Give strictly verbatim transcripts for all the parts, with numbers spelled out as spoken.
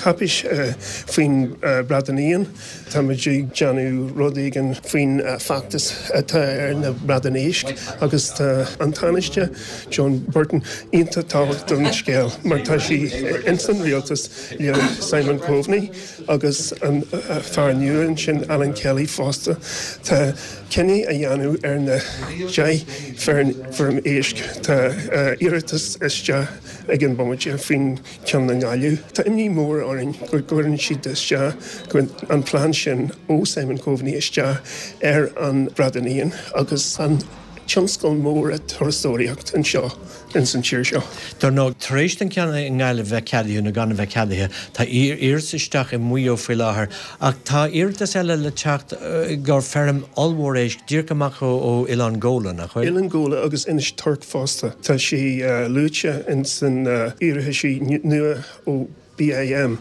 cáipéis faoin bradán éan, Táimid ag déanamh rud éigin faoin feachtas atá ar na bradáin éisc agus tá an Tánaiste Joan Burton iontach tábhachtach don scéal mar tá sí ins an rialtas le Simon Coveney agus an fear nua sin Alan Kelly fosta. Tá cinneadh á dhéanamh ar na deich bhfeirm éisc Tá iarratas isteach ag an bomaite faoin ceann i nGaillimh. Tá imní mór orainn go gcuireann siad isteach an plean sin ó Simon Coveney isteach ar an bradán éan agus an tionscal mór turasóireacht anseo ins an tír seo. Dar ndóigh tar éis an ceann i nGaillimh bheith ceadaithe nó gan a bheith ceadaithe, Tá iarratas isteach i Maigh Eo faoi láthair ach tá iarratas eile le teacht gur feirm ollmhór éisc díreach amach ó Oileán Ghabhla nach bhfuil. Oileán Ghabhla agus Inis Toirc fosta. Tá sé luaite in san iarratas nua ó BIM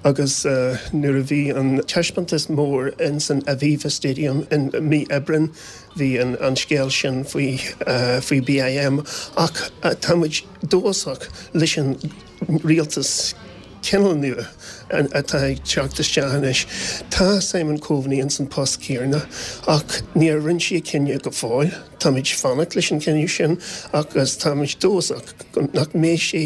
agus uh, nuair a bhí an taispeántas mór in san Aviva Stadium in mí Aibreáin bhí an, an scéal sin faoi uh, faoi BIM ach uh, táimid dóchasach leis an rialtas cineál nua atá ag teacht isteach anois. Tá Simon Coveney in san post céanna ach níor rinne sé cinneadh go fóill, Táimid fanacht leis an cinneadh sin agus táimid dóchasach nach mbeidh sé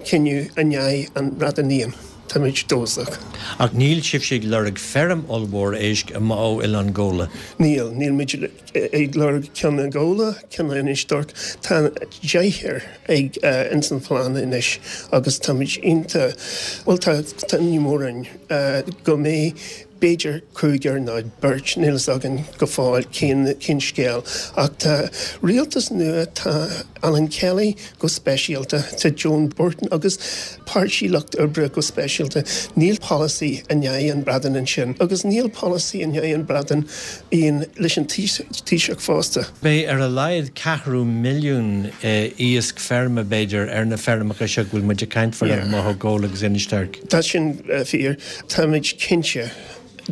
cinneadh in aghaidh an bradán éan. Táimid dóchasach. Ach níl sibh ag lorg feirm ollmhór éisc amach ó Oileán Ghabhla. Níl níl muid ag lorg ceann i nGabhla ceann Inis Toirc Tá deich ag uh, ins an phlean anois agus táimid iontach well tá tá ní mór uh, go mbeidh b'fhéidir cúigear nó beirt níl againn go fóill cén cén scéal ach tá rialtas nua tá Alan Kelly go speisialta tá Joan Burton agus Páirtí Lucht Oibre go speisialta níl policy in aghaidh an bradán ansin agus níl policy in aghaidh an bradán éan leis an Taoiseach fosta. Beidh ar a laghad ceathrú milliún iasc feirme b'fhéidir ar na feirmeacha seo bhfuil muid ag caint faoi amach ó Ghabhla agus Inis Toirc. Tá sin fíor Táimid cinnte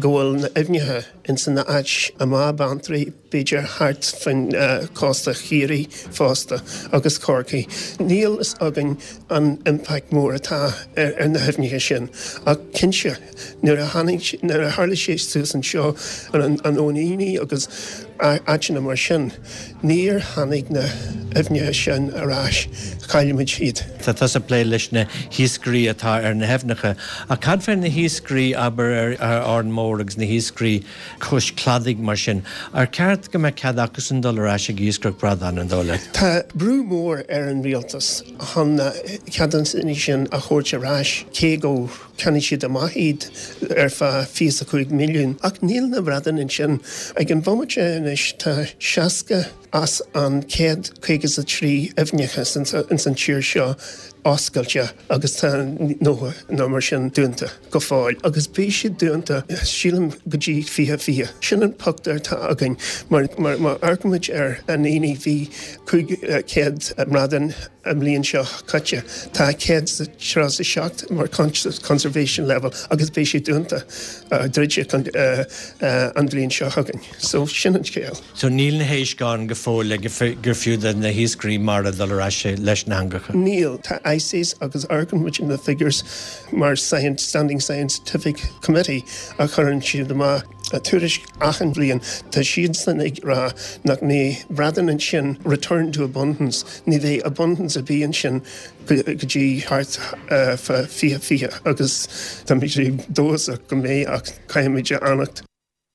go bhfuil na haibhneacha in san áit amach Beanntraí b'fhéidir thart faoin uh, cósta Chiarraí fosta agus Corcaigh. Níl fhios againn an impact mór atá ar, ar na haibhneacha sin ach cinnte nuair a nuair a tharla sé suas anseo an, an óíní agus áiteanna mar sin. Níor tháinig na haibhneacha sin ar ais chaillimid iad. Tá tusa ag plé leis na hiascairí atá ar na haibhneacha. A cad fé na hiascairí aber ar Árainn Mhór agus na hiascairí cois cladaigh mar sin. Ar ceart go mbeadh cead acusan dul ar ais ag iascaireacht bradán an dóigh leat. Tá brú mór ar an rialtas chun ceadanna sin a thabhairt ar ais cé go cheannaigh siad amach iad ar feadh fiche a cúig milliún. Ach níl na bradáin ansin ag an bhomaite anois tá seasca as an céad caoga a trí aibhneacha ins an tír seo oscailte agus tá nócha nó mar sin dúnta go fóill. agus beidh siad dúnta sílim go dtí fiche fiche. Sin an pictiúr atá againn mar mar má amharcaimid ar an aoine bhí cúig céad bradán an bhliain seo caite Tá céad tríocha a seacht mar conservation level agus beidh sé dúnta druidte an bhliain seo chugainn. So sin an scéal. So níl na héisc ann go fóill le gur fiú na hiascairí mara dul ar ais leis na heangacha. Níl tá ICES agus amharcann na figures mar Science Standing Scientific Committee a chuireann siad amach a tuairisc achan bhliain Tá siad san ag rá nach mbeidh bradán ansin return to abundance ní bheidh abundance a bhí ansin go dtí thart fiche fiche agus Tá mé dóchasach go mbeidh ach caithfimid fanacht.